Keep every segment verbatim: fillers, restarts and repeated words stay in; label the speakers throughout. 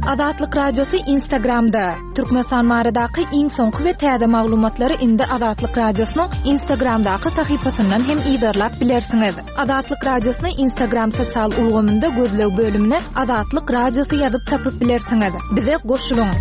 Speaker 1: Azatlyk Radiosy Instagramda. Türkmenistan baradaky iň soňky we täze maglumatlary indi Azatlyk Radiosynyň Instagramdaky sahypasyndan hem yzarlap bilersiňiz. Azatlyk Radiosyny Instagram sosial ulgamynda gözleg bölümine Azatlyk Radiosy ýazyp tapyp bilersiňiz. Bize goşulyň.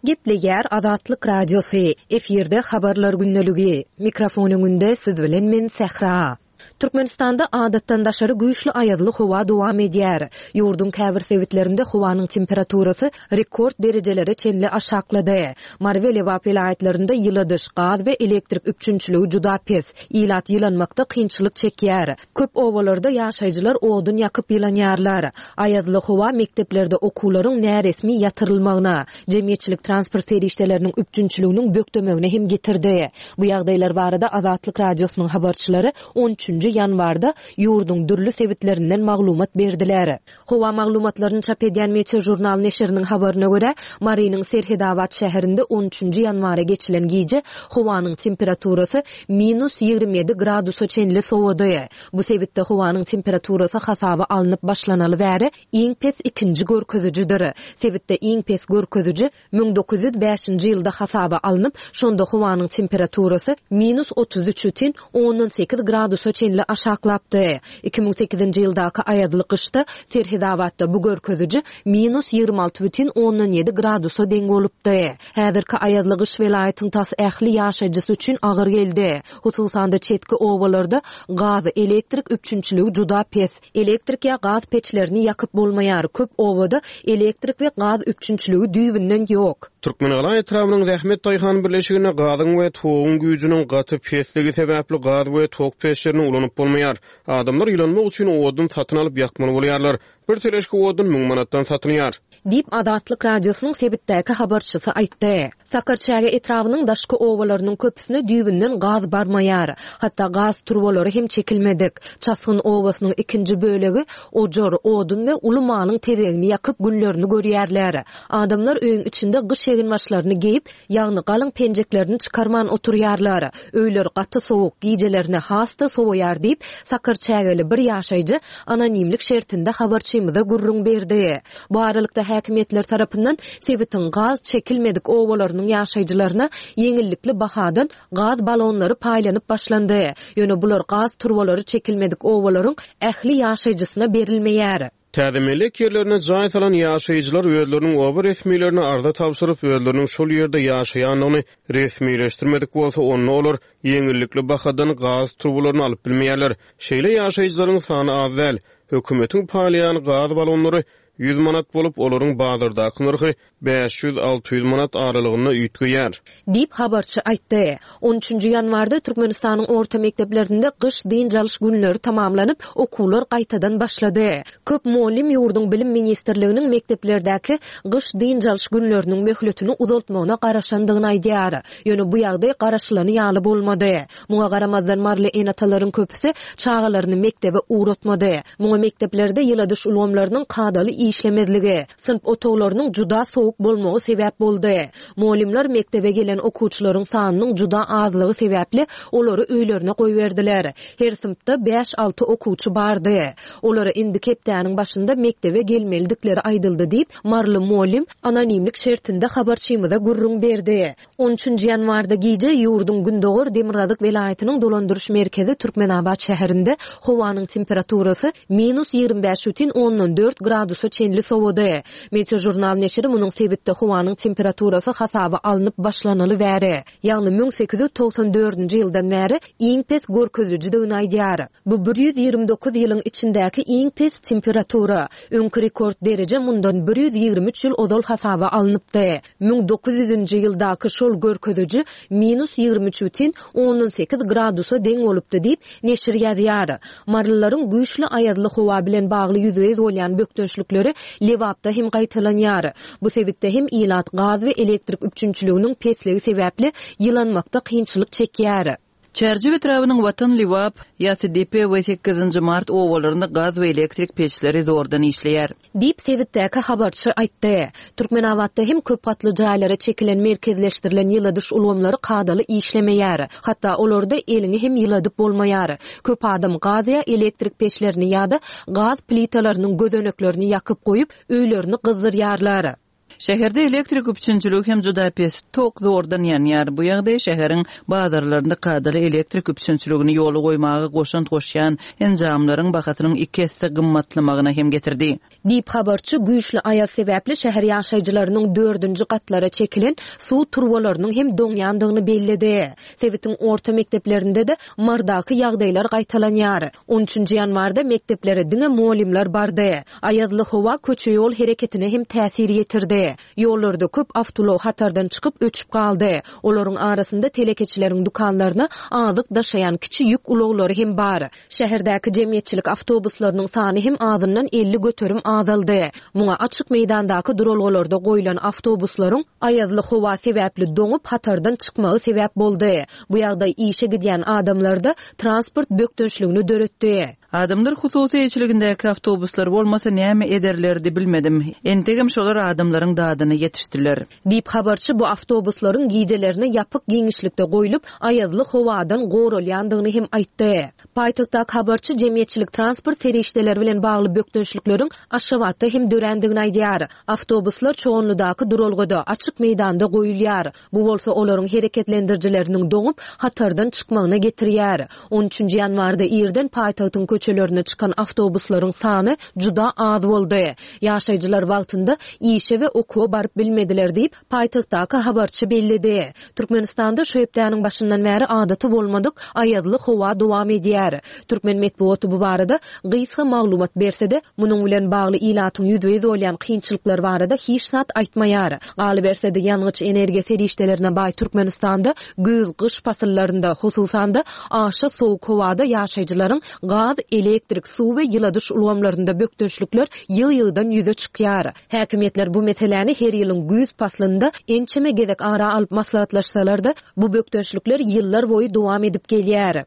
Speaker 2: Gepleýär Azatlyk Radiosy. Efirde habarlar gündeligi. Mikrofon öňünde siz bilen men Sähra. Türkmenistanda adatdan daşary güýçli aýazly howa dowam edýär. Ýurduň käbir sebitlerinde howanyň temperaturasy rekord derejelere çenli aşaklady. Mary we Lebap welaýatlarynda ýyladyş, gaz we elektrik üpjünçiligi juda pes. Ilat ýylanmakda kynçylyk çekýär. Köp obalarda ýaşaýjylar odun ýakyp ýylanýarlar. Aýazly howa mekdeplerde okuwlaryň näresmi ýatyrylmagyna, jemgyýetçilik transport serişdeleriniň üpjünçiliginiň bökdemegine hem getirdi. Bu ýagdaýlar barada Azatlyk Radiosynyň habarçylary on üçünji ýanwarda ýurduň dürli sebitlerinden maglumat berdiler. Howa maglumatlaryny çap edýän Meteožurnal neşiriniň habaryna görä, Marynyň Serhedabat şäherinde on üçünji ýanwara geçilen gije howanyň temperaturasy minus ýigrimi ýedi gradusa çenli sowady. Bu sebitde howanyň temperaturasy hasaba alnyp başlanaly bäri iň pes ikinji görkezijidir. Sebitde iň pes görkeziji müň dokuz ýüz bäşinji ýylda hasaba alnyp, şonda howanyň temperaturasy minus otuz üç bütin ondan sekiz gradusa çenli aşaklapdy. Iki müň sekizinji ýyldaky aýazly gyşda Serhedabatda bu görkeziji minus ýigrimi alty bütin ondan ýedi gradusa deň bolupdy. Häzirki aýazly gyş welaýatyň tas ähli ýaşaýjysy üçin agyr geldi. Hususan-da çetki obalarda gaz, elektrik üpjünçiligi juda pes. Elektrik ýa gaz peçlerini ýakyp bolmaýar. Köp obada elektrik we gaz üpjünçiligi düýbünden ýok.
Speaker 3: Türkmenegala etrabynyň Zähmet Daýhan birleşiginde gazyň we toguň güýjüniň gaty pesligi sebäpli gaz we tok peçlerini ulanyp bolmaýar. Adamlar ýylanmak üçin odun satyn alyp ýakmaly bolýarlar. Bir teleşki odun müň manatdan satylýar.
Speaker 2: Diýip Azatlyk Radiosynyň sebitdäki habarçysy aýtdy. Sakarçäge etrabynyň daşky obalarynyň köpüsine düýbünden gaz barmaýar. Hatda gaz turbalary hem çekilmedik. Çasgyn obasynyň ikinji bölegi ojar, odun we uly malyň tezegini ýakyp günlerini görýärler. Adamlar öýüň içinde gyş eginbaşlaryny geýip, ýagny galyň penjeklerini çykarman oturýarlar. Öýler gaty sowuk, gijelerine has-da sowaýar diýip, Sakarçägeli bir ýaşaýjy anonimlik şertinde habarçymyza gürrüň berdi. Bu aralykda häkimiýetler tarapyndan sebitiň gaz çekilmedik obalarynyň ýaşaýjylaryna ýeňillikli bahadan gaz balonlary paýlanyp başlandy. Ýöne bular gaz turbalary çekilmedik obalaryň ähli ýaşaýjysyna berilmeýär.
Speaker 3: Täze mellek ýerlerine jaý salan ýaşaýjylar özleriniň oba resmilerine arza tabşyryp, özleriniň şol ýerde ýaşaýandygyny resmileşdirmedik bolsa, onda olar ýeňillikli bahadan gaz turbalaryny alyp bilmeýärler. Şeýle ýaşaýjylaryň sany az däl. Hökümetiň paýlaýan gaz balonlary ýüz manat bolup, olaryň bazardaky nyrhy bäş ýüz alty ýüz manat aralygynda üýtgeýär.
Speaker 2: Diýip habarçy aýtdy. On üçünji ýanwarda Türkmenistanyň orta mekdeplerinde gyş dynç alyş günleri tamamlanyp, okuwlar gaýtadan başlady. Köp mugallym ýurduň bilim ministrliginiň mekdeplerdäki gyş dynç alyş günleriniň möhletini uzaltmagyna garaşandygyny aýdýar. Ýöne bu ýagdaý garaşylany ýaly bolmady. Muňa garamazdan maryly ene-atalaryň köpüsi çagalaryny mekdebe ugratmady. Muňa mekdeplerde ýyladyş ulgamlarynyň kadaly işlemezligi, synp otaglarynyň juda sowuk bolmagy sebäp boldy. Mugallymlar mekdebe gelen okuwçylaryň sanynyň juda azlygy sebäpli olary öýlerine goýberdiler. Her synpda bäş-alty okuwçy bardy. Olara indi hepdäniň başynda mekdebe gelmelidikleri aýdyldy diýip, maryly mugallym anonimlik şertinde habarçymyza gürrüň berdi. On üçünji ýanwarda gije ýurduň Gündogar Demirgazyk welaýatynyň dolandyryş merkezi Türkmenabat şäherinde howanyň temperaturasy minus ýigrimi bäş bütin ondan dört gradusa çenli sowady. Meteožurnal neşiri munuň sebitde howanyň temperaturasy hasaba alnyp başlanaly bäri, ýagny müň sekiz ýüz togsan dördünji ýyldan bäri iň pes görkezijidigini aýdýar. Bu bir ýüz ýigrimi dokuz ýylyň içindäki iň pes temperatura. Öňki rekord dereje mundan bir ýüz ýigrimi üç ýyl ozal hasaba alnypdy. Müň dokuz ýüzünji ýyldaky şol görkeziji minus ýigrimi üç bütin ondan sekiz gradusa deň bolupdy diýip neşir ýazýar. Marylylaryň güýçli aýazly howa bilen bagly ýüzbe-ýüz bolýan bökdençlikleri Lebapda hem gaýtalanýar. Bu sebitde hem ilat gaz we elektrik üpjünçiliginiň pesligi sebäpli ýylanmakda kynçylyk çekýär.
Speaker 4: Çärjew etrabynyň Watan Lebap, Ýasydepe we sekizinji mart obalarynda gaz we elektrik peçleri zordan işleýär.
Speaker 2: Diýip sebitdäki habarçy aýtdy. Türkmenabatda hem köp gatly jaýlara çekilen merkezleşdirilen ýyladyş ulgamlary kadaly işlemeýär. Hatda olarda eliňi hem ýyladyp bolmaýar. Köp adam gaz ýa elektrik peçlerini ýa-da gaz plitalarynyň gözeneklerini ýakyp goýup, öýlerini gyzdyrýarlar.
Speaker 4: Şäherde elektrik üpjünçiligi hem juda pes, tok zordan ýanýar. Bu ýagdaý şäheriň bazarlarynda kadaly elektrik üpjünçiligini ýola goýmaga goşant goşýan enjamlaryň bahasynyň iki esse gymmatlamagyna hem getirdi.
Speaker 2: Diýip habarçy güýçli aýaz sebäpli şäher ýaşaýjylarynyň dördünji gatlara çekilen suw turbalarynyň hem doňýandygyny belledi. Sebitiň orta mekdeplerinde-de Mardaky ýagdaýlar gaýtalanýar. On üçünji ýanwarda mekdeplere diňe mugallymlar bardy. Aýazly howa köçe ýol hereketine hem täsir ýetirdi. Ýollarda köp awtoulag hatardan çykyp öçüp galdy. Olaryň arasynda telekeçileriň dükanlaryna azyk daşaýan kiçi ýük ulaglary hem bar. Şäherdäki jemgyýetçilik awtobuslarynyň sany hem azyndan elli göterim azaldy. Muňa açyk meýdandaky duralgalarda goýlan awtobuslaryň aýazly howa sebäpli doňup hatardan çykmagy sebäp boldy. Bu ýagdaý işe gidýän adamlarda transport bökdençligini döretdi.
Speaker 4: Adamlar hususy eýeçiligindäki awtobuslar bolmasa näme ederlerdi bilmedim. Entegem şolar adamlaryň dadyna ýetişdiler.
Speaker 2: Diýip habarçy bu awtobuslaryň gijelerini ýapyk giňişlikde goýlup, aýazly howadan goralýandygyny hem aýtdy. Paýtagtdaky habarçy jemgyýetçilik transport serişdeleri bilen bagly bökdençlikleriň Aşgabatda hem dörändigini aýdýar. Awtobuslar Çoganlydaky duralgada, açyk meýdanda goýulýar. Bu bolsa olaryň hereketlendirijileriniň doňup, hatardan çykmagyna getirýär. On üçünji ýanwarda irden paýtagtyň köçelerine çykan awtobuslaryň sany juda az boldy. Ýaşaýjylar wagtynda işe we okuwa baryp bilmediler diýip, paýtagtdaky habarçy belledi. Türkmenistanda şu hepdäniň başyndan bäri adaty bolmadyk aýazly howa dowam edýär. Türkmen metbugaty bu barada gysga maglumat berse-de, munuň bilen bagly ilatyň ýüzbe-ýüz bolýan kynçylyklar barada hiç zat aýtmaýar. Galyberse-de ýangyç energiýa serişdelerine baý Türkmenistanda güýz gyş pasyllarynda, hususan-da aşa sowuk howada ýaşaýjylaryň gaz, elektrik, suw we ýyladyş ulgamlarynda bökdençlikler ýygy-ýygydan ýüze çykýar. Häkimiýetler bu meseläni her ýylyň güýz paslynda ençeme gezek ara alyp maslahatlaşsalar-da, bu bökdençlikler ýyllar boýy dowam edip gelýär.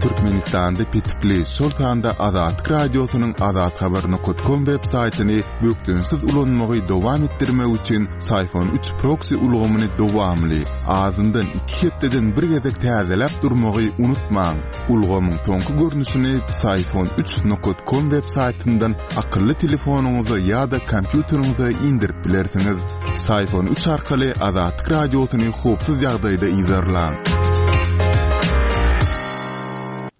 Speaker 5: Türkmenistanda petikli, şol sanda Azatlyk Radiosynyň azathabar nokta com web saýtyny bökdençsiz ulanmagy dowam etdirmek üçin Syfon üç proksi ulgamyny dowamly, azyndan iki hepdeden bir gezek täzeläp durmagy unutmaň. Ulgamyň soňky görnüşini Syfon üç nokta com web saýtyndan akylly telefonyňyza ýa-da kompýuteriňize indirip bilersiňiz. Syfon üç arkaly Azatlyk Radiosyny howpsuz ýagdaýda yzarlaň.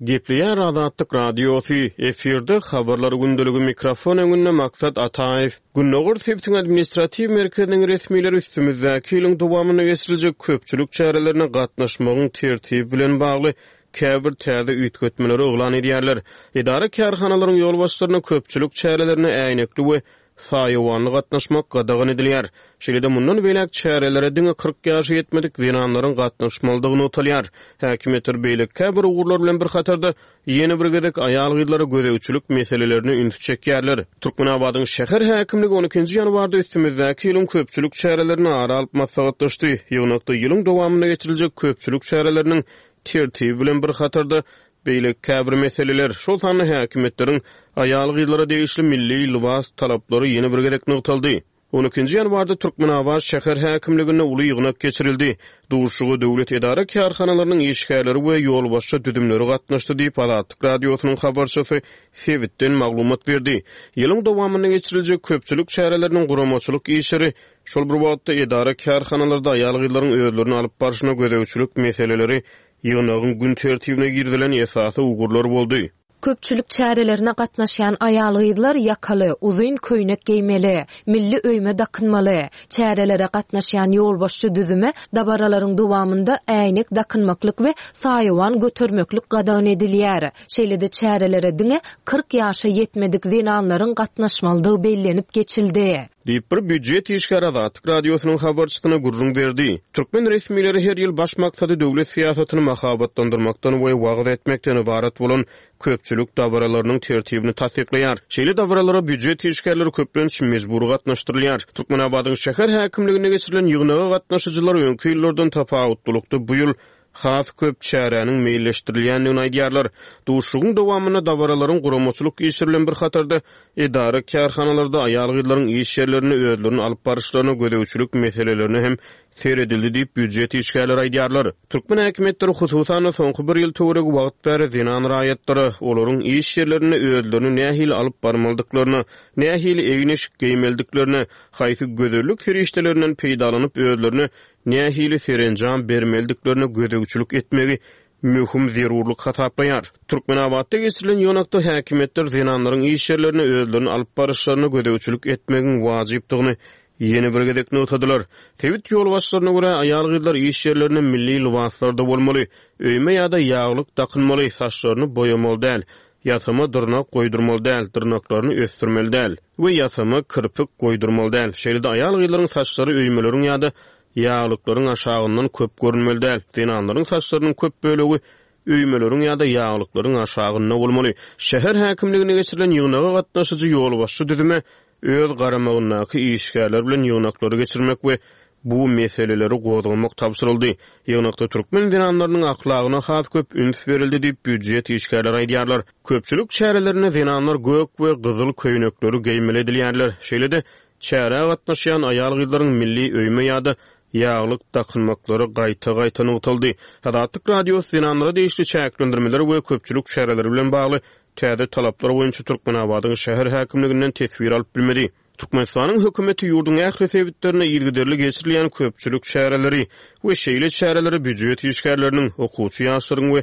Speaker 3: Gepleýär Azatlyk Radiosy, efirde habarlar gündeligi mikrofon öňünde Maksat Ataýew. Gündogar sebitiň administratiw merkeziniň resmileri üstümizdäki ýylyň dowamynda geçiriljek köpçülik çärelerine gatnaşmagyň tertibi bilen bagly käbir täze üýtgetmeleri yglan edýärler. Edara kärhanalaryň ýolbaşçylaryna köpçülik çärelerine äýnekli we saýawanly gatnaşmak gadagan edilýär. Şeýle-de mundan beýläk çärelere diňe kyrk ýaşa ýetmedik zenanlaryň gatnaşmalydygy nygtalýar. Häkimiýetler beýleki käbir ugurlar bilen bir hatarda ýene bir gezek aýal-gyzlara gözegçilik meselelerine üns çekýärler. Türkmenabadyň şäher häkimligi on ikinji ýanwarda üstümizdäki ýylyň köpçülik çärelerini ara alyp maslahatlaşdy. Ýygnakda ýylyň dowamynda geçiriljek köpçülik çäreleriniň tertibi bilen bir hatarda beýleki käbir meseleler, şol sanda häkimiýetleriň aýal-gyzlara degişli milli lybas talaplary ýene bir gezek nygtaldy. On ikinji ýanwarda Türkmenabat şäher häkimliginde uly ýygnak geçirildi. Duşuşyga döwlet edara kärhanalarynyň işgärleri we ýolbaşçy düzümleri gatnaşdy diýip Azatlyk Radiosynyň habarçysy sebitden maglumat berdi. Ýylyň dowamynda geçiriljek köpçülik çäreleriniň guramaçylyk işleri, şol bir wagtda edara kärhanalarda aýal-gyzlaryň özlerini alyp barşyna gözegçilik meseleleri ýygnagyň gün tertibine girizilen esasy ugurlar boldy.
Speaker 2: Köpçülik çärelerine gatnaşýan aýal-gyzlar ýakaly, uzyn köýnek geýmeli, milli öýme dakynmaly. Çärelere gatnaşýan ýolbaşçy düzüme dabaralaryň dowamynda äýnek dakynmaklyk we saýawan götermeklik gadagan edilýär. Şeýle-de çärelere diňe kyrk ýaşa ýetmedik zenanlaryň gatnaşmalydygy bellenip geçildi.
Speaker 3: Diýip, bir býujet işgäri Azatlyk Radiosynyň habarçysyna gürrüň berdi. Türkmen resmileri her ýyl baş maksady döwlet syýasatyny mahabatlandyrmakdan we wagyz etmekden ybarat bolan köpçülik dabaralarynyň tertibini tassyklaýar. Şeýle dabaralara býujet işgärleri köplenç mejbury gatnaşdyrylýar. Türkmenabadyň şäher häkimliginde geçirilen ýygnaga gatnaşyjylar öňki ýyllardan tapawutlylykda bu ýyl has köp çäräniň meýilleşdirilýändigini aýdýarlar. Duşuşygyň dowamynda dabaralaryň guramaçylyk işleri bilen bir hatarda edara kärhanalarda aýal-gyzlaryň iş ýerlerinde özlerini alyp baryşlaryna gözegçilik meselelerine hem seredildi diýip býujet işgärleri aýdýarlar. Türkmen häkimiýetleri hususan-da soňky bir ýyl töweregi wagt bäri zenan raýatlara olaryň iş ýerlerinde özlerini nähili alyp barmalydyklaryna, nähili egin-eşik geýmelidiklerine, haýsy gözellik serişdelerinden peýdalanyp özlerine nähili serenjam bermelidiklerine gözegçilik etmegi möhüm zerurlyk hasaplaýar. Türkmenabatda geçirilen ýygnakda häkimiýetler zenanlaryň iş ýerlerine özlerini alyp baryşlaryna gözegçilik etmegiň wajypdygyny ýene bir gezek nygtadylar. Sebit ýolbaşçylaryna görä aýal-gyzlar iş ýerlerinde milli lybaslarda bolmaly, öýme ýa-da ýaglyk dakynmaly, saçlaryny boýamaly däl, ýasama dyrnak goýdurmaly däl, dyrnaklaryny ösdürmeli däl we ýasama kirpik goýdurmaly däl. Şeýle-de aýal-gyzlaryň saçlary öýmeleriň ýa-da ýaglyklaryň aşagyndan köp görünmeli däl. Zenanlaryň saçlarynyň köp bölegi öýmeleriň ýa-da ýaglyklaryň aşagynda bolmaly. Şäher häkimligine geçirilen ýygnaga gatnaşyjy ýolbaşçy düzüme öz garamagyndaky işgärler bilen ýygnaklary geçirmek we bu meseleleri gozgamak tabşyryldy. Ýygnakda türkmen zenanlarynyň ahlagyna has köp üns berildi diýip býujet işgärleri aýdýarlar. Köpçülik çärelerinde zenanlar gök we gyzyl köýnekleri geýmeli edilýärler. Şeýle-de çärä gatnaşýan aýal-gyzlaryň milli öýme ýa-da ýaglyk dakynmaklary gaýta-gaýta nygtaldy. Azatlyk Radiosy zenanlara degişli çäklendirmeler we köpçülik çäreleri bilen bagly täze talaplar boýunça Türkmenabadyň şäher häkimliginden teswir alyp bilmedi. Türkmenistanyň hökümeti ýurduň ähli sebitlerinde yzygiderli geçirilýän köpçülik çäreleri we şeýle çäreleri býujet işgärleriniň, okuwçy ýaşlaryň we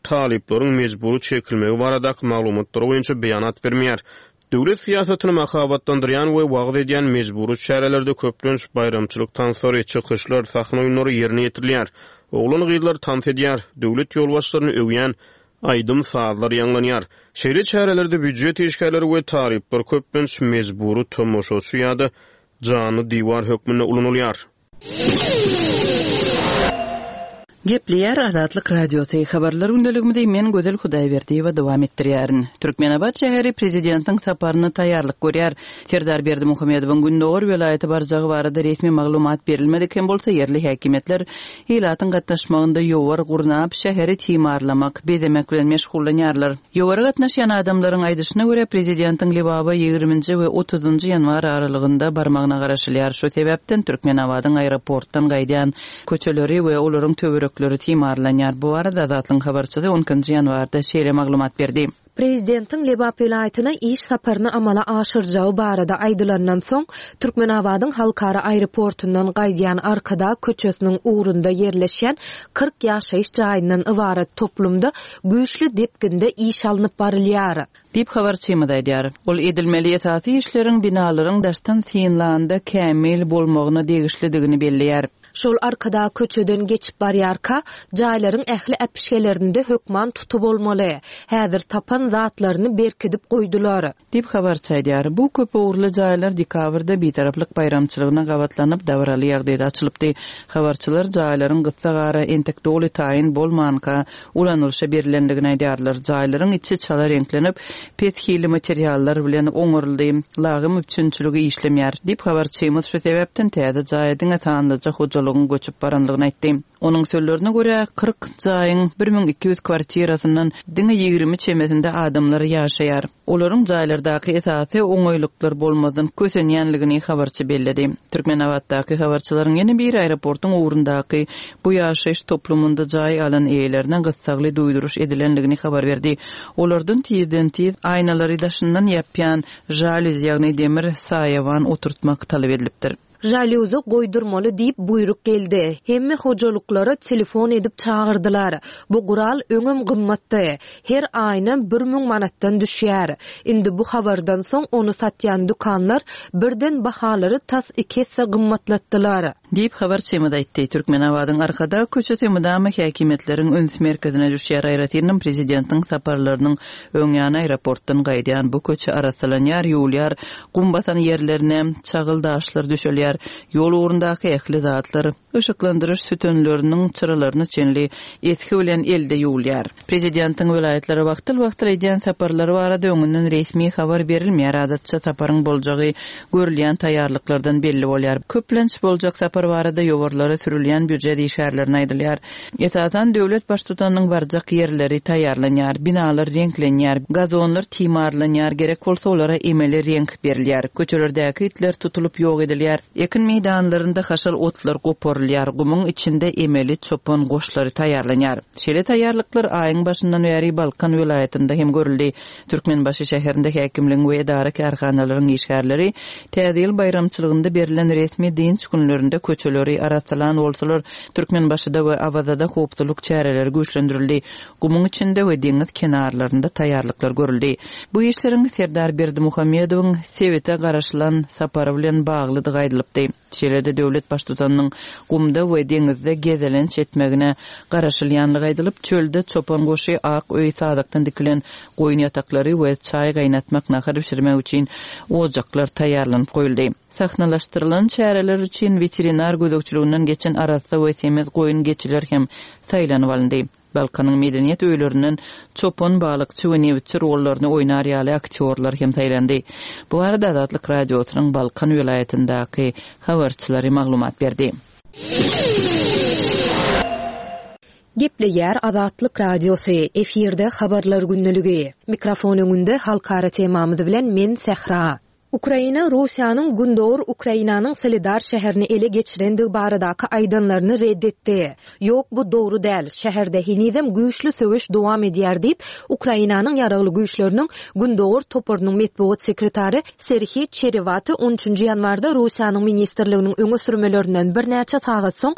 Speaker 3: talyplaryň mejbury çekilmegi baradaky maglumatlar boýunça beýanat bermeýär. Döwlet syýasatyny mahabatlandyrýan we wagyz edýän mejbury çärelerde köplenç baýramçylyk tanslary, çykyşlar, sahna oýunlary ýerine ýetirilýär. Oglan-gyzlar tans edýär, döwlet ýolbaşçylaryny öwýän aýdym sazlar ýaňlanýar. Şeýle çärelerde býujet işgärleri we talyplar köplenç mejbury tomaşaçy ýa-da janly diwar hökmünde ulanylýar.
Speaker 4: Gepleýär Azatlyk Radiosy habarlar gündeligimizi men Gözel Hudaýberdiýewa dowam etdirýärin. Türkmenabat şäheri prezidentiň saparyna taýýarlyk görýär. Serdar Berdimuhamedowyň Gündogar welaýaty barjagy barada resmi maglumat berilmedik hem bolsa ýerli häkimiýetler ilatyň gatnaşmagynda ýowar gurnap şäheri timarlamak, bezemek bilen meşgullanýarlar. Ýowara gatnaşýan adamlaryň aýdyşyna görä prezidentiň Lebaba ýigriminji we otuzynjy ýanwar aralygynda barmagyna garaşylýar. Şu sebäpden Türkmenabadyň aeroportdan gaýdýan köçeleri we olaryň töwerekleri timarlanýar. Bu arada Azatlygyň habarçysy on ikinji ýanwarda şeýle maglumat berdi.
Speaker 2: Prezidentiň Lebap welaýatyna iş saparyny amala aşyrjagy barada aýdylandan soň Türkmenabadyň halkara aeroportundan gaýdýan Arkadag köçesiniň ugrunda ýerleşýän kyrk ýaşaýyş jaýyndan ybarat toplumda güýçli depginde iş alnyp barylýar.
Speaker 4: Diýip habarçymyz aýdýar. Ol edilmeli esasy işleriň binalaryň daşdan synlanda kämil bolmagyna degişlidigini belleýär.
Speaker 2: Şol Arkadag köçeden geçip barýarka, jaýlaryň ähli äpişgelerinde hökman tutup bolmaly. Häzir tapan zatlaryny berkidip goýdular.
Speaker 4: Diýip habarçy aýdýar. Bu köp ugurly jaýlar dekabrda bitaraplyk baýramçylygyna gabatlanyp dabaraly ýagdaýda açylypdy. Habarçylar jaýlaryň gyssagara entek doly taýyn bolmanka ulanylyşa berilendigini aýdýarlar. Jaýlaryň içi çala reňklenip, pes hili materiallar bilen oňaryldy. Lagym üpjünçiligi işlemýär. Diýip habarçymyz şu sebäpden täze jaýa diňe sanlyja hojalygyň göçüp baranlygyny aýtdy. Onuň sözlerine görä kyrk jaýyň bir müň iki ýüz kwartirasyndan diňe ýigrimi çemesinde adamlar ýaşaýar. Olaryň jaýlardaky esasy oňaýlyklar bolmazdan kösenýänligini habarçy belledi. Türkmenabatdaky habarçylaryň ýene bir aeroportuň ugrundaky bu ýaşaýyş toplumynda jaý alan eýelerine gyssagly duýduryş edilenligini habar berdi. Olardan tizden tiz aýnalary daşyndan ýapýan jalüz, ýagny demir saýawan oturtmak talap edilipdir.
Speaker 2: Žalýuzy goýdurmaly diýip buýruk geldi. Hemme hojalyklara telefon edip çagyrdylar. Bu gural öňem gymmatdy. Her aýna bir müň manatdan düşýär. Indi bu habardan soň ony satýan dükanlar birden bahalary tas iki esse gymmatlatdylar.
Speaker 4: Diýip habarçymyz aýtdy. Türkmenabadyň Arkadag köçesi mydama häkimiýetleriň üns merkezine düşýär. Aýratynam prezidentiň saparlarynyň öňýany aeroportdan gaýdýan bu köçe arassalanýar, ýuwulýar, gum basan ýerlerine çagyl daşlar düşelýär. Ýol ugrundaky ähli zatlar yşyklandyryş sütünleriniň çyralaryna çenli esgi bilen elde ýuwulýar. Prezidentiň welaýatlara wagtal-wagtal edýän saparlary barada öňünden resmi habar berilmeýär. Adatça saparyň boljagy görülýän taýýarlyklardan belli bolýar. Köplenç boljak sapar barada ýowarlara sürülýän býujet işgärlerine aýdylýar. Esasan döwlet baştutanynyň barjak ýerleri taýýarlanýar, binalar reňklenýär, gazonlar timarlanýar, gerek bolsa olara emeli reňk berilýär. Köçelerdäki itler tutulyp ýok edilýär. Ekin meýdanlarynda haşal otlar goparylýar, gumuň içinde emeli çopan goşlary taýýarlanýar. Şeýle taýýarlyklar aýyň başyndan bäri Balkan welaýatynda hem görüldi. Türkmenbaşy şäherinde häkimligiň we edara kärhanalaryň işgärleri Täze ýyl baýramçylygynda berilen resmi dynç günlerinde köçeleri arassalan bolsalar, Türkmenbaşyda we Awazada howpsuzlyk çäreleri güýçlendirildi. Gumuň içinde we deňiz kenarlarynda taýýarlyklar görüldi. Bu işleriň Serdar Berdimuhamedowyň sebite garaşylan sapary bilen baglydygy aýdylypdy. Şeýle-de döwlet baştutanynyň gumda we deňizde gezelenç etmegine garaşylýanlygy aýdylyp, çölde çopan goşy, ak öý sazakdan dikilen goýun ýataklary we çaý gaýnatmak, nahar bişirmek üçin ojaklar taýýarlanyp goýuldy. Sahnalaşdyrylan çäreler üçin weterinar gözegçiliginden geçen arassa we semiz goýun geçiler hem saýlanyp alyndy. Balkanyň medeniýet öýlerinden çopan, balykçy we nebitçi rollaryny oýnar ýaly aktýorlar hem saýlandy. Bu barada Azatlyk Radiosynyň Balkan welaýatyndaky habarçylary maglumat berdi.
Speaker 2: Gepleýär Azatlyk Radiosy, efirde habarlar gündeligi. Mikrofon öňünde halkara temamyz bilen men Sähra. Ukraina Russiýanyň Gündogar Ukrainanyň Soledar şäherini ele geçirendigi baradaky aýdanlaryny red etdi. Ýok, bu dogry däl. Şäherde henizem güýçli söweş dowam edýär diýip, Ukrainanyň ýaragly güýçleriniň Gündogar toparynyň metbugat sekretary Serhiý Çerewaty on üçünji ýanwarda Russiýanyň ministrliginiň öňe sürmelerinden birnäçe sagat soň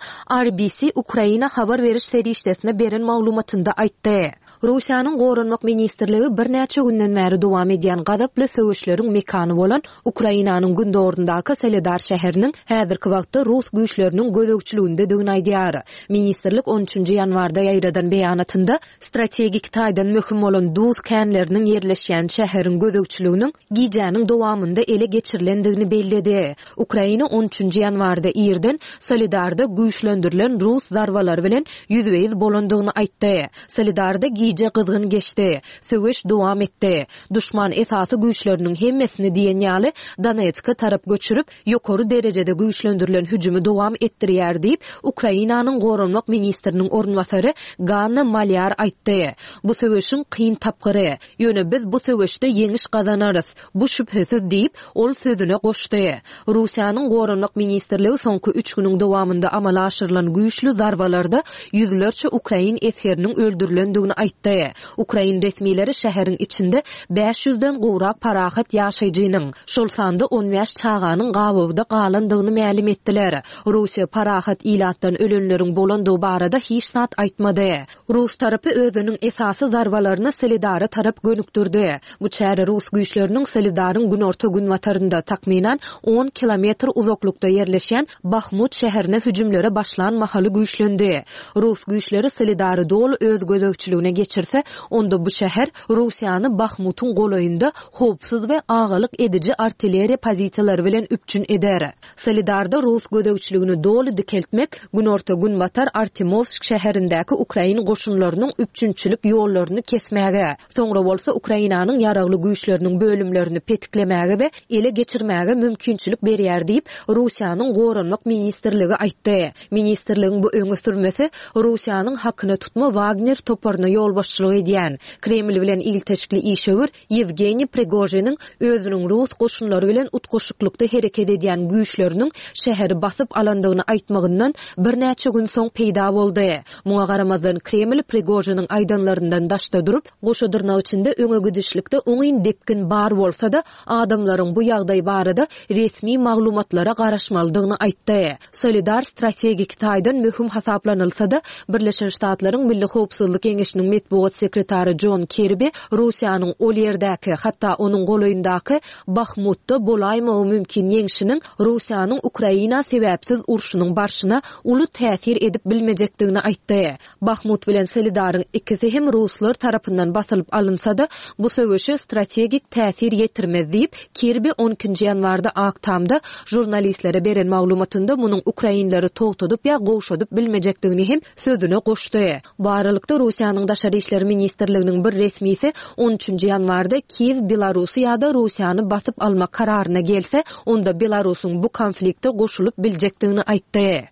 Speaker 2: R B C Ukraina habar beriş serişdesine beren maglumatynda aýtdy. Russiýanyň Goranmak ministrligi birnäçe günden bäri dowam edýän gazaply söweşleriň mekany bolan Ukrainanyň Gündogaryndaky Soledar şäheriniň häzirki wagtda rus güýçleriniň gözegçiligindedigini aýdýar. Ministrlik on üçünji ýanwarda ýaýradan beýanatynda strategik taýdan möhüm bolan duz känleriniň ýerleşýän şäheriň gözegçiliginiň gijäniň dowamynda ele geçirilendigini belledi. Ukraina on üçünji ýanwarda irden Soledarda güýçlendirilen rus zarbalary bilen ýüzbe-ýüz bolandygyny aýtdy. Soledarda gije gyzgyn geçdi. Söweş dowam etdi. Düşman esasy güýçleriniň hemmesini diýen ýaly Donetske tarap göçürip, ýokary derejede güýçlendirilen hüjümi dowam etdirýär diýip, Ukrainanyň Goranmak ministriniň orunbasary Ganna Malýar aýtdy. Bu söweşiň kyn tapgyry. Ýöne biz bu söweşde ýeňiş gazanarys. Bu şübhesiz diýip, ol sözüne goşdy. Russiýanyň Goranmak ministrligi soňky üç günüň dowamynda amala aşyrylan güýçli zarbalarda ýüzlerçe ukrain esgeriniň öldürilendigini aýtdy. Ukrain resmileri şäheriň içinde bäş ýüzden gowrak parahat ýaşaýjynyň, şol sanda on bäş çaganyň gabawda galandygyny mälim etdiler. Russiýa parahat ilatdan ölenleriň bolandygy barada hiç zat aýtmady. Rus tarapy özüniň esasy zarbalaryny Soledara tarap gönükdirdi. Bu çäre rus güýçleriniň Soledaryň günorta günbatarynda takmynan on kilometr uzaklykda ýerleşýän Bahmut şäherine hüjümlere başlan mahaly güýçlendi. Rus güýçleri Soledary doly öz gözegçiligine geçirse, onda bu şäher Russiýany Bahmutyň golaýynda howpsuz we agalyk ediji artilleriýa pozisiýalary bilen üpjün eder. Soledarda rus gözegçiligini doly dikeltmek günorta günbatar Artemovsk şäherindäki ukrain goşunlarynyň üpjünçilik ýollaryny kesmäge, soňra bolsa Ukrainanyň ýaragly güýçleriniň bölümlerini petiklemäge we ele geçirmäge mümkinçilik berýär diýip, Russiýanyň Goranmak ministrligi aýtdy. Ministrligiň bu öňe sürmesi Russiýanyň hakyna tutma Wagner toparyna ýolbaşçylyk edýän Kreml bilen ilteşikli işewür Ýewgeniý Prigojiniň özüniň rus goşunlary bilen utgaşyklykda hereket edýän güýçleriniň şäheri basyp alandygyny aýtmagyndan birnäçe gün soň peýda boldy. Muňa garamazdan Kreml Prigojiniň aýdanlaryndan daşda durup, goşa dyrnak içinde öňe gidişlikde oňyn depgin bar bolsa-da, adamlaryň bu ýagdaý barada resmi maglumatlara garaşmalydygyny aýtdy. Soledar strategik taýdan möhüm hasaplanylsa-da, Birleşen Ştatlaryň Milli Howpsuzlyk Geňeşiniň metbugat sekretary John Kirby Russiýanyň ol ýerdäki, hatda onuň golaýyndaky Bahmutda bolaýmagy mümkin ýeňşiniň Russiýanyň Ukraina sebäpsiz urşunyň barşyna uly täsir edip bilmejekdigini aýtdy. Bahmut bilen Soledaryň ikisi hem ruslar tarapyndan basylyp alynsa-da, bu söweşe strategik täsir ýetirmez diýip, Kirby on ikinji ýanwarda Ak Tamda žurnalistlere beren maglumatynda munuň ukrainleri togtadyp ýa gowşadyp bilmejekdigini hem sözüne goşdy. Bu aralykda Russiýanyň Daşary işler ministrliginiň bir resmisi on üçünji ýanwarda Kiýew Belarusy ýa-da Russiýany basyp almak kararyna gelse, onda Belarusyň bu konflikte goşulyp biljekdigini aýtdy.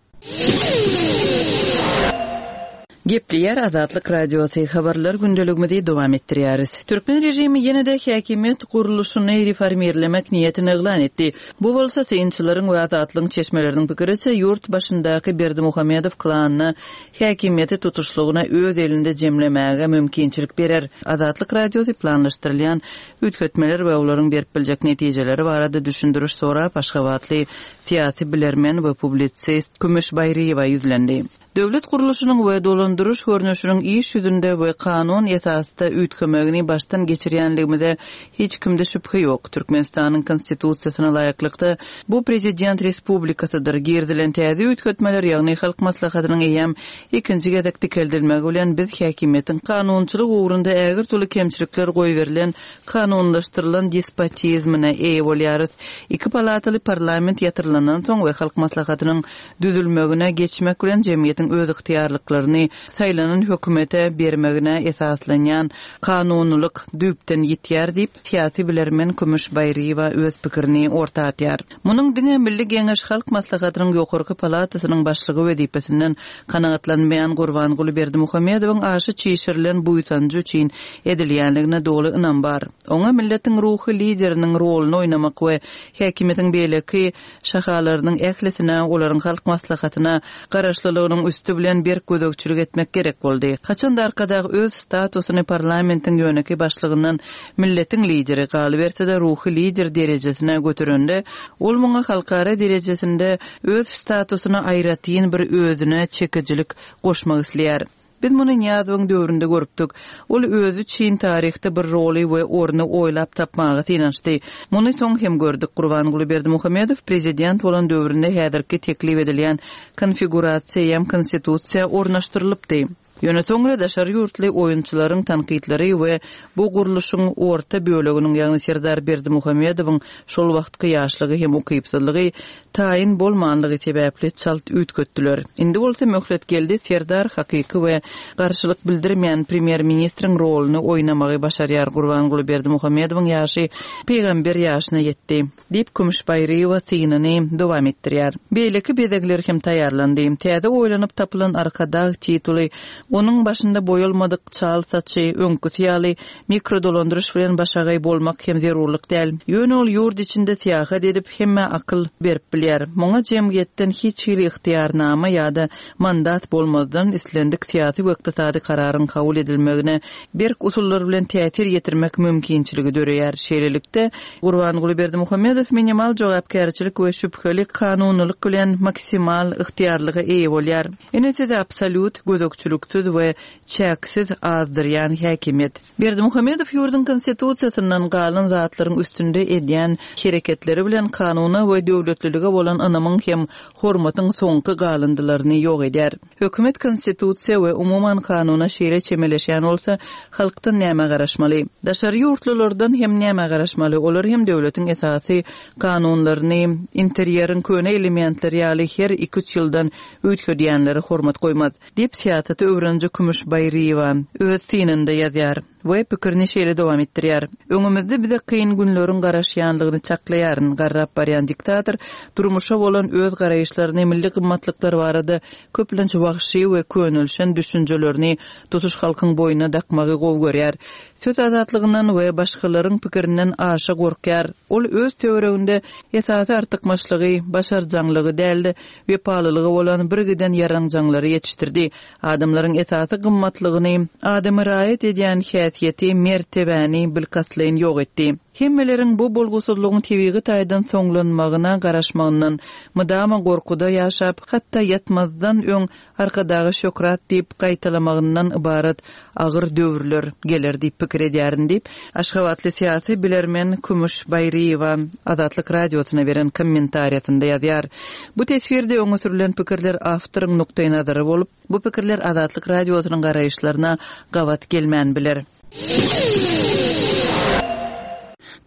Speaker 4: Gepleýär Azatlyk Radiosy, habarlar gündeligimizi dowam etdirýäris. Türkmen režimi ýene-de häkimiýet gurluşyny reformirlemek niýetini yglan etdi. Bu bolsa synçylaryň we Azatlygyň çeşmeleriniň pikiriçe ýurt başyndaky Berdimuhamedow klanyna häkimiýeti tutuşlygyna öz elinde jemlemäge mümkinçilik berer. Azatlyk Radiosy planlaşdyrylýan üýtgetmeler we olaryň berip biljek netijeleri barada düşündiriş sorap Aşgabatly syýasy bilermen we publisist Kümüş Baýryýewa ýüzlendi. Döwlet gurluşynyň we dolandyryş görnüşiniň iş ýüzünde we kanun esasda üýtgemegini başdan geçirýänligimize hiç kimde şübhe ýok. Türkmenistanyň konstitusiýasyna laýyklykda bu prezident respublikasydyr. Girizilen täze üýtgetmeler, ýagny Halk Maslahatynyň eýýäm ikinji gezek dikeldilmegi bilen biz häkimiýetiň kanunçylyk ugrunda ägirt uly kemçilikler goýberilen kanunlaşdyrylan despotizmine eýe bolýarys. Iki palataly parlament ýatyrylandan soň we Halk Maslahatynyň düzülmegine geçmek bilen jemgyýetiň öz ygtyýarlyklaryny saýlanan hökümete bermegine esaslanýan kanunylyk düýpden ýitýär diýip, syýasy bilermen Kümüş Baýryýewa öz pikirini orta atýar. Munuň diňe Milli Geňeş Halk Maslahatynyň ýokarky palatasynyň başlygy wezipesinden kanagatlanmaýan Gurbanguly Berdimuhamedowyň aşy çişirilen buýsanjy üçin edilýänligine doly ynam bar. Oňa milletiň ruhy lideriniň roluny oýnamak we häkimiýetiň beýleki şahalarynyň ählisine, olaryň Halk Maslahatyna garaşlylygynyň üstü bilen berk gözegçilik etmek gerek boldy. Haçanda Arkadag öz statusyny parlamentiň ýöneki başlygyndan milletiň lideri galyberse-de ruhy lider derejesine götürende, ol muňa halkara derejesinde öz statusyna aýratyn bir özüne çekicilik goşmak isleýär. Biz muny Nyýazowyň döwründe görüpdik. Ol özi üçin taryhda bir roly we orny oýlap tapmaga synanyşdy. Muny soň hem gördük. Gurbanguly Berdimuhamedow prezident bolan döwründe häzirki teklip edilýän konfigurasiýa ýa konstitusiýa ornaşdyrylypdy. Ýöne soňra daşary ýurtly oýunçylaryň tankytlary we bu gurluşyň orta böleginiň, ýagny Serdar Berdimuhamedowyň şol wagtky ýaşlygy hem ukypsyzlygy taýyn bolmanlygy sebäpli çalt üýtgetdiler. Indi bolsa möhlet geldi, Serdar hakyky we garşylyk bildirmeýän premýer-ministriň roluny oýnamagy başarýar. Gurbanguly Berdimuhamedowyň ýaşy peýgamber ýaşyna ýetdi diýip Kümüş Baýryýewa synyny dowam etdirýär. Beýleki bezegler hem taýýarlandy. Täze oýlanyp tapylan Arkadag tituly onuň başynda boýalmadyk çal saçy, öňküsi ýaly mikrodolandyryş bilen başagaý bolmak hem zerurlyk däl. Ýöne ol ýurt içinde syýahat edip hemme akyl berip bilýär. Muňa jemgyýetden hiç hili ygtyýarnama ýa-da mandat bolmazdan islendik syýasy we ykdysady kararyň kabul edilmegine berk usullar bilen täsir ýetirmek mümkinçiligi döreýär. Şeýlelikde Gurbanguly Berdimuhamedow minimal jogapkärçilik we şübheli kanunylyk bilen maksimal ygtyýarlyga eýe bolýar. Ine size absolýut gözegçiliksiz we çäksiz azdyrýan häkimiýet. Berdimuhamedow ýurduň konstitusiýasyndan galan zatlaryň üstünde edýän hereketleri bilen kanuna we döwletlilige bolan ynamyň hem hormatyň soňky galyndylaryny ýok edýär. Hökümet konstitusiýa we umuman kanuna şeýle çemeleşýän bolsa, halkdan näme garaşmaly? Daşary ýurtlulardan hem näme garaşmaly? Olar hem döwletiň esasy kanunlaryny, interýeriň köne elementleri ýaly her iki-üç ýyldan üýtgedýänlere hormat goýmaz diýip syýasaty öwreniji Kümüş Baýryýewa öz synynda ýazýar we pikirini şeýle dowam etdirýär. Öňümizde bize kyn günleriň garaşýanlygyny çaklaýaryn. Garrap barýan diktator durmuşa bolan öz garaýyşlaryny, milli gymmatlyklar barada köplenç wagşy we könelşen düşünjelerini tutuş halkyň boýnuna dakmagy gowy görýär. Söz azatlygyndan we başgalaryň pikirinden aşa gorkýar. Ol öz töwereginde esasy artykmaçlygy, başarjaňlygy däl-de, wepalylygy bolan birgiden ýaranjaňlary ýetişdirdi. Adamlaryň esasy gymmatlygyny, adamy raýat edýän häsiýeti, mertebäni bilkastlaýyn ýok etdi. Hemmeleriň bu bolgusyzlygyň tebigy taýdan soňlanmagyna garaşmagyndan, mydama gorkuda ýaşap, hatda ýatmazdan öň Arkadaga şöhrat diýip gaýtalamagyndan ybarat agyr döwürler geler diýip pikir edýärin diýip, aşgabatly syýasy bilermen Kümüş Baýryýewa Azatlyk Radiosyna beren kommentariýasynda ýazýar. Bu teswirde öňe sürlen pikirler awtoryň nukdaýnazary bolup, bu pikirler Azatlyk Radiosynyň garaýyşlaryna gabat gelmän biler.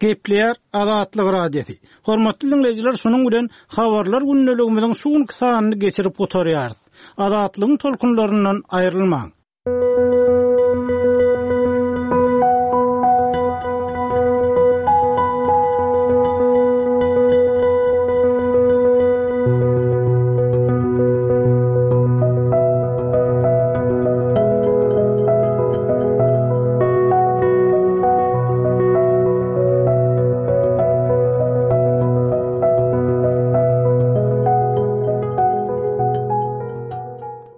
Speaker 6: Gepleýär Azatlyk Radiosy. Hormatly diňleýjiler, şunuň bilen habarlar gündeligimiziň şu günki sanyny geçirip gutarýarys. Azatlygyň tolkunlaryndan aýrylmaň.